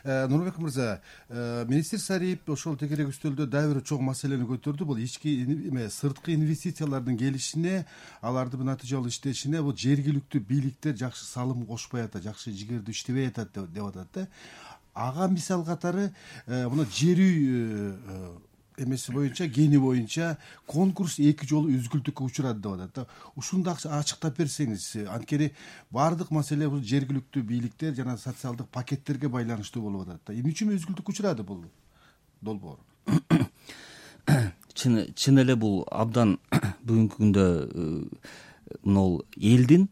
Нурбек мырза, министр Сариев ошол тегерек үстөлдө дагы бир чоң маселени көтөрдү. Бул ички сырткы инвестициялардын келишине, алардын натыйжалуу иштешине бул жергиликтүү бийликтер жакшы салым кошпой атат, жакшы жигердүү иштебей атат деп атат да. Ага мисал катары мына жер үй эмеси боюнча, кени боюнча конкурс 2 жолу үзгүлтүккө учурады деп атат да. Ушуну да ачыктап берсеңиз, анткени баардык маселе бул жергиликтүү бийликтер жана социалдык пакеттерге байланыштуу болуп атат да. Эмне үчүн үзгүлтүккө учурады бул долбоор? Чын эле бул абдан бүгүнкү күндө мынол элдин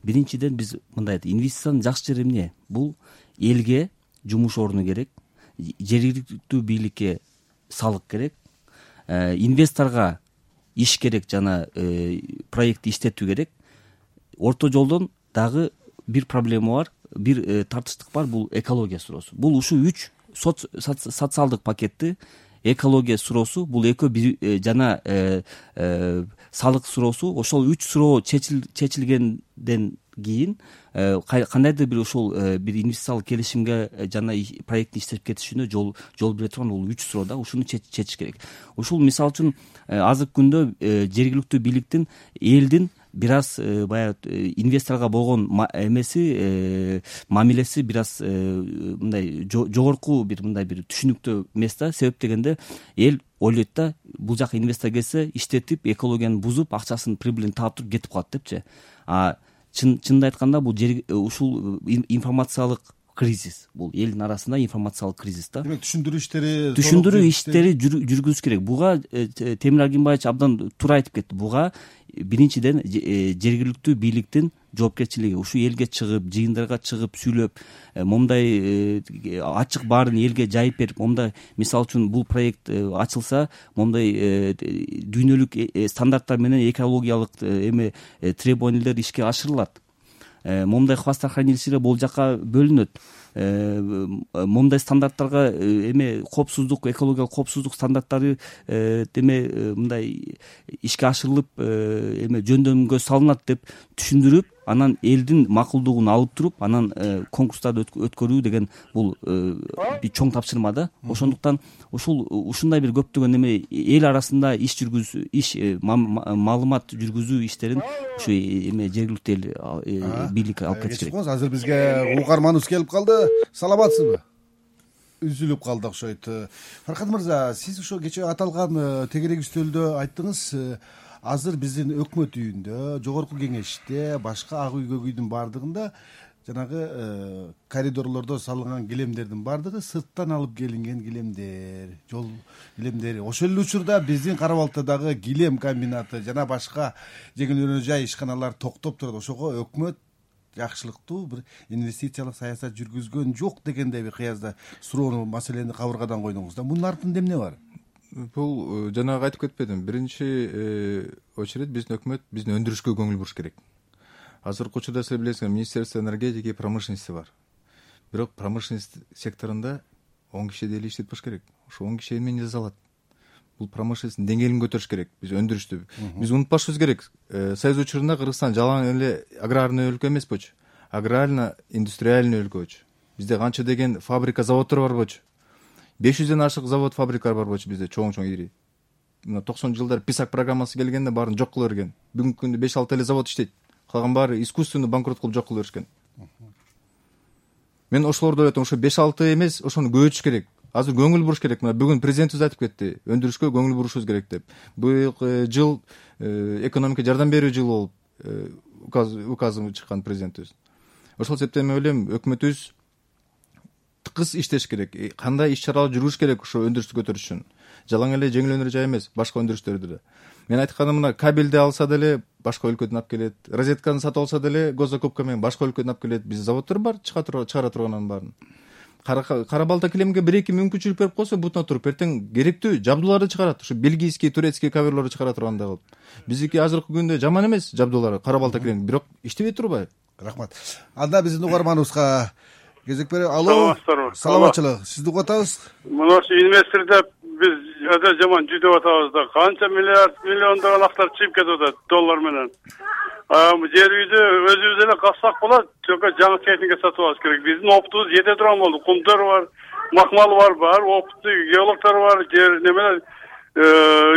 биринчиден биз мындай инвестициянын жакшы жери эмне? Бул элге жумуш орну керек, жергиликтүү бийликке салык керек, инвесторго иш керек жана проектти иштетүү керек. Орто жолдон дагы бир проблема бар, бир тартыштык бар, бул экология суроосу. Бул ушу 3 социалдык пакетти, экология суроосу, бул экөө жана салык суроосу, ошол 3 суроо чечилгенден кийин кандайдыр бир ошол бир инвестициялык келишимге жана проектти иштеп кетишине жол бере турган бул 3 суроо да, ушуну чечиш керек. Ушул мисалы үчүн азыркы күндө жергиликтүү бийликтин элдин бир аз баягы инвесторго болгон мамилеси бир аз мындай жогорку бир мындай бир түшүнүктүү эмес да. Себеп дегенде эл ойлойт да, бул жака инвестор келсе иштетип, экологияны бузуп, акчасын прибылин таап туруп кетип калат депчи. Чынында айтканда бул ушул информациялык кризис, бул элдин арасында информациялык кризис да. Демек түшүндүрүү иштери жүргүзүш керек. Буга Темир Агимбаевич абдан туура айтып кетти. Буга биринчиден жергиликтүү бийликтин жоопкерчилиги. Ушу элге чыгып, жыйындарга чыгып сүйлөп, момундай ачык баарын элге жайып берип, момундай мисалы үчүн бул проект ачылса, момундай дүйнөлүк стандарттар менен экологиялык требованиялер ишке ашырылат. Момундай хвостохранилищелер бул жака бөлүнөт. Момундай стандарттарга коопсуздук, экологиялык коопсуздук стандарттары мындай ишке ашырылып жөндөмгө салынат деп түшүндүрүп, анан элдин макулдугун алып туруп, анан конкурстарды өткөрүү деген бул бир чоң тапшырма да. Ошондуктан ушундай бир көптөгөн эл арасында маалымат жүргүзүү иштерин ушу жергиликтүү бийлик алып кетиш керек. Азыр бизге угарманыбыз келип калды. Саламатсызбы? Үзүлүп калды окшойт. Фаркат мырза, сиз ошо кечээ аталган тегерек үстөлдө айттыңыз, азыр биздин өкмөт үйүндө, жогорку кеңеште, башка ак үй көк үйдүн баардыгында жанагы коридорлордо салынган килемдердин баардыгы сырттан алып келинген килемдер, жол килемдери. Ошол эле учурда биздин Кара Балтадагы килем комбинаты жана башка жеңил өнөр жай ишканалар токтоп турат. Ошого өкмөт жакшылыктуу бир инвестициялык саясат жүргүзгөн жок дегендей бир кыязда суроону, маселени кабыргадан койдуңуз да. Мунун артында эмне бар? Бул жанагы айтып кетпедим. Биринчи очередь биздин өкмөт биздин өндүрүшкө көңүл буруш керек. Азыркы учурда сиз билесиңер, Министерство энергетики и промышленности бар. Бирок промышленность секторунда 10 киши деле иштетпеш керек. Ошо 10 киши эмне жаза алат? Бул промышленностьтун деңгээлин көтөрүш керек. Биз өндүрүштү. Биз унутпашыбыз керек. Союз учурунда Кыргызстан жалаң эле аграрный өлкө эмес болчу. Аграрно-индустриальный өлкө болчу. Бизде канча деген фабрика, заводдор бар болчу. 500ден ашык завод, фабрикалар бар болчу бизде, чоң ири. Мына 90 жылдар ПИСАК программасы келгенде баарын жок кыла берген. Бүгүнкү күндө 5-6 эле завод иштейт. Калган баары искусственный банкрот кылып жок кыла беришкен. Мен ошолорду айтам, ошо 5-6 эмес, ошону көбөйтүш керек. Азыр көңүл буруш керек. Мына бүгүн президентибиз айтып кетти, өндүрүшкө көңүл бурушубуз керек деп. Быйыл жыл экономика жардам берүү жылы болуп указы чыккан президентибиз. Ошол себептен мен ойлойм, өкмөтүбүз тыкыз иштеш керек. Кандай иш-чаралар жүргүзүш керек ошо өндүрүштү көтөрүш үчүн. Жалаң эле жеңил өнөр жай эмес, башка өндүрүштөрдү да. Мен айтканым, мына кабелди алса деле башка өлкөдөн алып келет. Розетканы сатып алса деле госзакупка менен башка өлкөдөн алып келет. Биз заводдор бар, чыгара турганын баарын. Кара Балта килемге 1-2 мүмкүнчүлүк берип койсо, бутуна туруп эртең керектүү жабдууларды чыгарат. Ушу бельгийский, турецкий коверлорду чыгара тургандай кылып. Биздики азыркы күндө жаман эмес жабдуулары, Кара Балта килем, бирок иштебей турбайбы? Рахмат. Анда биздин угарманыбызга кезек бере. Алло, саламатчылык. Сизди угатабыз. Мына инвестор деп биз өтө жаман жүдөп атабыз да. Канча миллиондогон актар чыгып кетип атат доллар менен. Жер үйдү өзүбүз эле казсак болот, жокко жаңы техника сатып алыш керек. Биздин опытыбыз жете турган болду. Кумтөр бар, макмал бар, опыттуу геологдор бар, жер немелер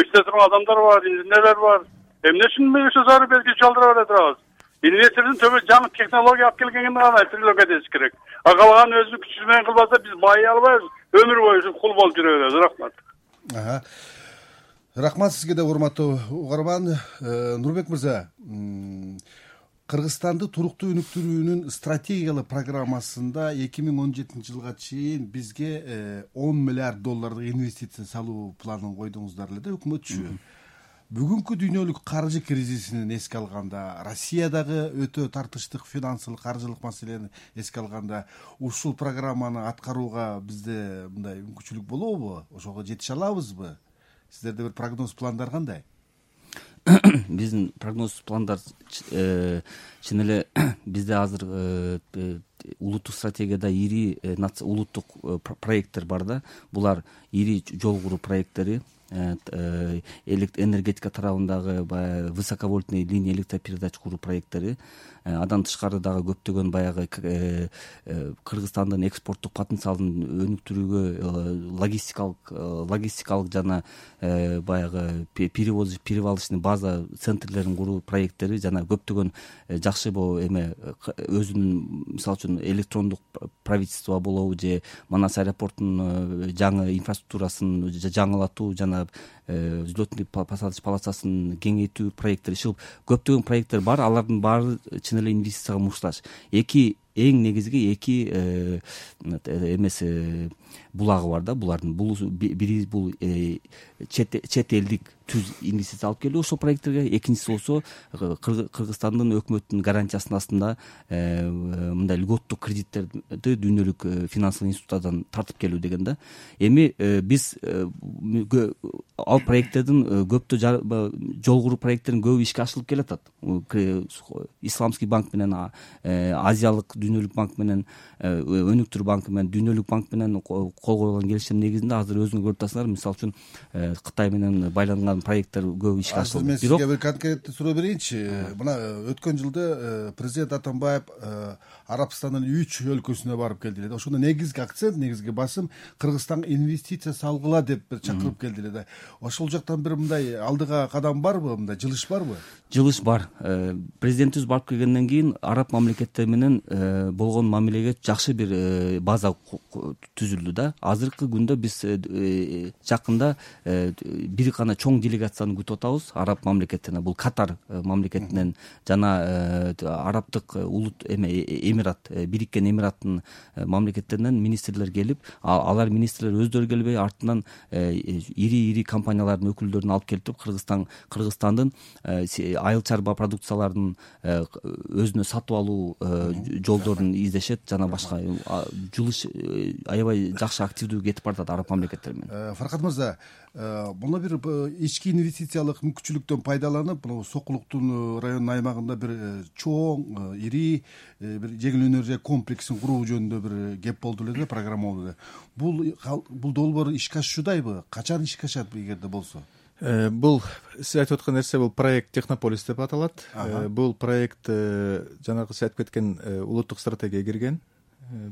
иште турган адамдар бар, инженерлер бар. Эмне үчүн ошо зарыл белги чалдыра бере турабыз? Инвестордун төбө жаңы технология алып келгенин гана прилагать этиш керек. Калган өзү күчү менен кылбаса биз бай албайбыз, өмүр бою кул болуп жүрө беребиз. Рахмат. Рахмат сизге да, урматтуу угарман. Нурбек мырза, Кыргызстанды туруктуу өнүктүрүүнүн стратегиялык программасында 2017 жылга чейин бизге 10 миллиард доллардык инвестиция салуу планын койдуңуздар эле да өкмөтчү. Бүгүнкү дүйнөлүк каржы кризисин эске алганда, Россиядагы өтө тартыштык финансылык, каржылык маселени эске алганда, ушул программаны аткарууга бизде мындай мүмкүнчүлүк болобу? Ошого жетише алабызбы? Сиздерде бир прогноз, пландар кандай? Биздин прогноз, пландар чын эле бизде азыр улуттук стратегияда ири улуттук проекттер бар да. Булар ири жол куруу проекттери, энергетика тарабындагы высоковольтный линия электропередач куруу проекттери, андан тышкары дагы көптөгөн баягы Кыргызстандын экспорттук потенциалын өнүктүрүүгө логистикалык жана баягы перевалочный база центрлерин куруу проекттери жана көптөгөн жакшы өзүнүн, мисалы үчүн, электрондук правительство болобу же Манас аэропортунун жаңы инфраструктурасын жаңылатуу жана взлетный посадочный полосасын кеңейтүү проекттери, ушул көптөгөн проекттер бар. Алардын баары чын эле инвестицияга муктаж. Эң негизги эки булагы бар да. Булардын бири бул чет элдик түз инвестиция алып келүү ошол проекттерге, экинчиси болсо Кыргызстандын өкмөттүнүн гарантиясынын астында мындай льготтук кредиттерди дүйнөлүк финансылык институттардан тартып келүү деген да. Эми биз ал проекттердин көптө жол куруу проекттеринин көбү ишке ашырылып келатат. Исламский банк менен, Азиялык дүйнөлүк банк менен, өнүктүрүү банкы менен, дүйнөлүк банк менен кол коюлган келишим негизинде азыр өзүңөр көрүп атасыңар. Мисалы үчүн Кытай менен байланган проекттер көбү ишке ашырылды. Мен сизге бир конкреттүү суроо берейинчи. Мына өткөн жылда президент Атамбаев Арабстандын 3 өлкөсүнө барып келди эле. Ошондо негизги акцент, негизги басым Кыргызстанга инвестиция салгыла деп бир чакырып келди эле да. Ошол жактан бир мындай алдыга кадам барбы, мындай жылыш барбы? Жылыш бар. Президентибиз барып келгенден кийин араб мамлекеттери менен болгон мамилеге жакшы бир база түзүлдү да. Азыркы күндө биз жакында бир гана чоң делегацияны күтүп атабыз араб мамлекеттеринен. Бул Катар мамлекетинен жана арабтык Эмират, Бириккен Эмираттын мамлекеттеринен министрлер келип, алар министрлер өздөрү келбей, артынан ири компаниялардын өкүлдөрүн алып келип, Кыргызстандын айыл чарба продукцияларын өзүнө сатып алуу жолдорун издешет жана башка жылыш аябай жакшы активдүү кетип баратат араб мамлекеттери менен. Фаркат мырза, мына бир ички инвестициялык мүмкүнчүлүктөн пайдаланып, мына Сокулуктун районунун аймагында бир чоң, ири бир жеңил өнөр комплексин куруу жөнүндө бир кеп болду эле да, программа болду эле. Бул долбоор ишке ашуудайбы? Качан ишке ашат эгерде болсо? Бул сиз айтып аткан нерсе бул проект Технополис деп аталат. Бул проект жанагы сиз айтып кеткен улуттук стратегияга кирген.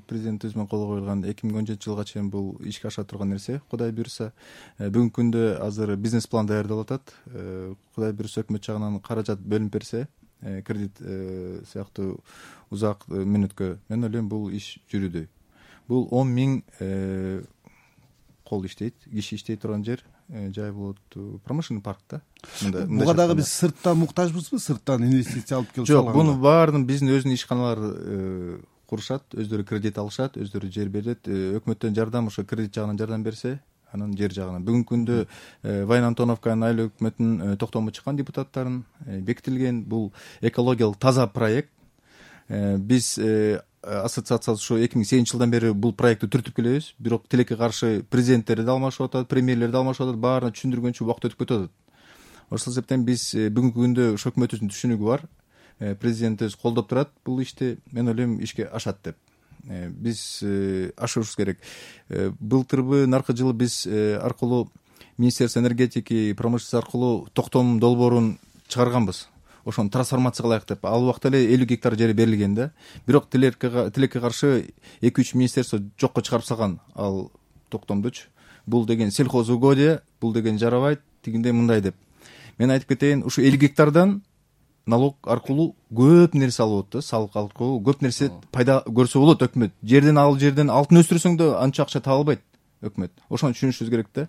Президентибиз менен кол коюлган 2017 жылга чейин бул ишке аша турган нерсе. Кудай буйруса, бүгүнкү күндө азыр бизнес план даярдалып атат. Кудай буйруса өкмөт жагынан каражат бөлүнүп берсе, кредит сыяктуу узак мөөнөткө, мен ойлойм бул иш жүрүүдөй. Бул 10 000 кол иштейт, киши иштей турган жай болот, промышленный парк да. Буга дагы биз сырттан муктажбызбы? Сырттан инвестиция алып келип жок, буну баарын биздин өзүнүн ишканалар курушат, өздөрү кредит алышат, өздөрү жер берет. Өкмөттөн жардам, ошо кредит жагынан жардам берсе, анан жер жагынан. Бүгүнкү күндө Вайын Антоновканын айыл өкмөтүнүн токтому чыккан депутаттарын бекитилген. Бул экологиялык таза проект. Биз ассоциация ушу 2008 жылдан бери бул проектти түртүп келебиз. Бирок тилекке каршы президенттери да алмашып атат, премьерлер да алмашып атат, баарына түшүндүргөнчө убакыт өтүп кетип атат. Ошол себептен биз бүгүнкү күндө ошо өкмөтүбүздүн түшүнүгү бар. Президентибиз колдоп турат бул ишти, мен ойлойм ишке ашат деп. Биз ашырышыбыз керек. Былтырбы, наркы жылы биз аркылуу Министерство энергетики, промышленность аркылуу токтом долбоорун чыгарганбыз. Ошону трансформация кылайык деп. Ал убакта эле 50 гектар жери берилген да. Бирок тилекке каршы 2-3 министерство жокко чыгарып салган ал токтомдучу. Бул деген сельхозугодие, бул деген жарабайт, тигиндей мындай деп. Мен айтып кетейин, ушу 50 гектардан налог аркылуу көп нерсе алып болот да, салык аркылуу көп нерсе пайда көрсө болот өкмөт. Жерден алтын өстүрсөң да анча акча таба албайт өкмөт. Ошону түшүнүшүбүз керек да.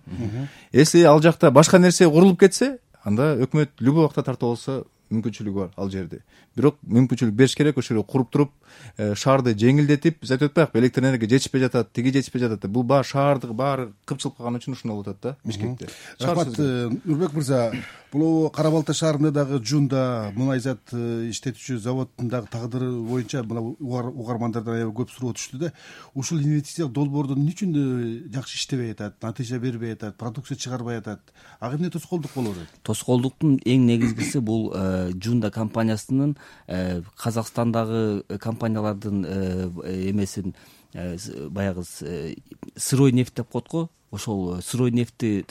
Если ал жакта башка нерсе курулуп кетсе, анда өкмөт любой убакта тартып алса мүмкүнчүлүгү бар ал жерде. Бирок мүмкүнчүлүк бериш керек, ошол жерде куруп туруп, шаарды жеңилдетип, биз айтып атпайбыкпы, электр энергия жетишпей жатат, тиги жетишпей жатат. Бул баары шаардык баары кыпчылып калган үчүн ушундай болуп атат да Бишкекте. Рахмат, Нурбек мырза. Бул Кара Балта шаарында дагы Жунда мунай зат иштетүүчү заводдун дагы тагдыры боюнча мына угармандардан аябай көп суроо түштү да. Ушул инвестициялык долбоордон эмне үчүн жакшы иштебей атат, натыйжа бербей атат, продукция чыгарбай атат? Ага эмне тоскоолдук болуп атат? Тоскоолдуктун эң негизгиси бул Жунда компаниясынын Казакстандагы компаниялардын эмесин баягы сырой нефть деп коет го. Ошол сырой нефтти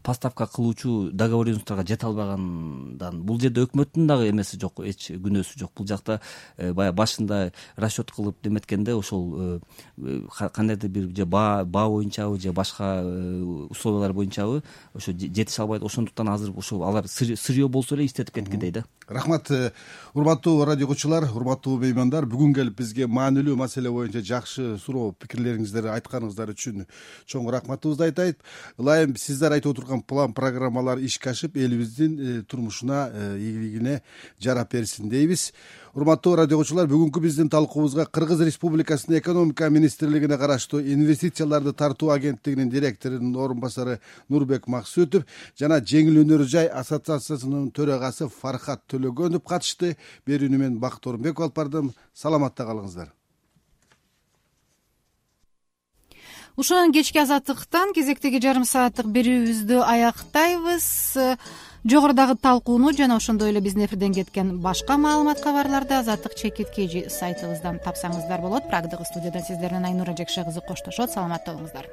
поставка кылуучу договоренностторго жете албагандан. Бул жерде өкмөттүн дагы эмеси жок, эч күнөөсү жок. Бул жакта баягы башында расчет кылып деметкенде ошол кандайдыр бир же баа боюнчабы же башка условиялар боюнчабы ошо жетише албайт. Ошондуктан азыр ошол алар сырье болсо эле иштетип кеткендей да. Рахмат, урматтуу радио көрүүчүлөр, урматтуу меймандар. Бүгүн келип бизге маанилүү маселе боюнча жакшы суроо пикирлериңиздерди айтканыңыздар үчүн чоң рахматыбызды айтайт. Ылайым сиздер айтып отурган план программалар ишке ашып, элибиздин турмушуна, ийгилигине жарап берсин дейбиз. Урматтуу радио көрүүчүлөр, бүгүнкү биздин талкуубузга Кыргыз Республикасынын экономика министрлигине караштуу инвестицияларды тартуу агенттигинин директорунун орун басары Нурбек Максутов жана Жеңил өнөр жай ассоциациясынын төрагасы Фархат Төлөгөнов катышты. Берүүнү мен Бакыт Орунбеков алып бардым. Саламатта калыңыздар. Ушунан кечки азаттыктан кезектеги жарым сааттык берүүбүздү аяктайбыз. Жогорудагы талкууну жана ошондой эле биздин эфирден кеткен башка маалымат кабарларды Азаттык ЧКТ сайтыбыздан тапсаңыздар болот. Прагдагы студиядан сиздер менен Айнура Жекше кызы коштошот. Саламатта болуңуздар.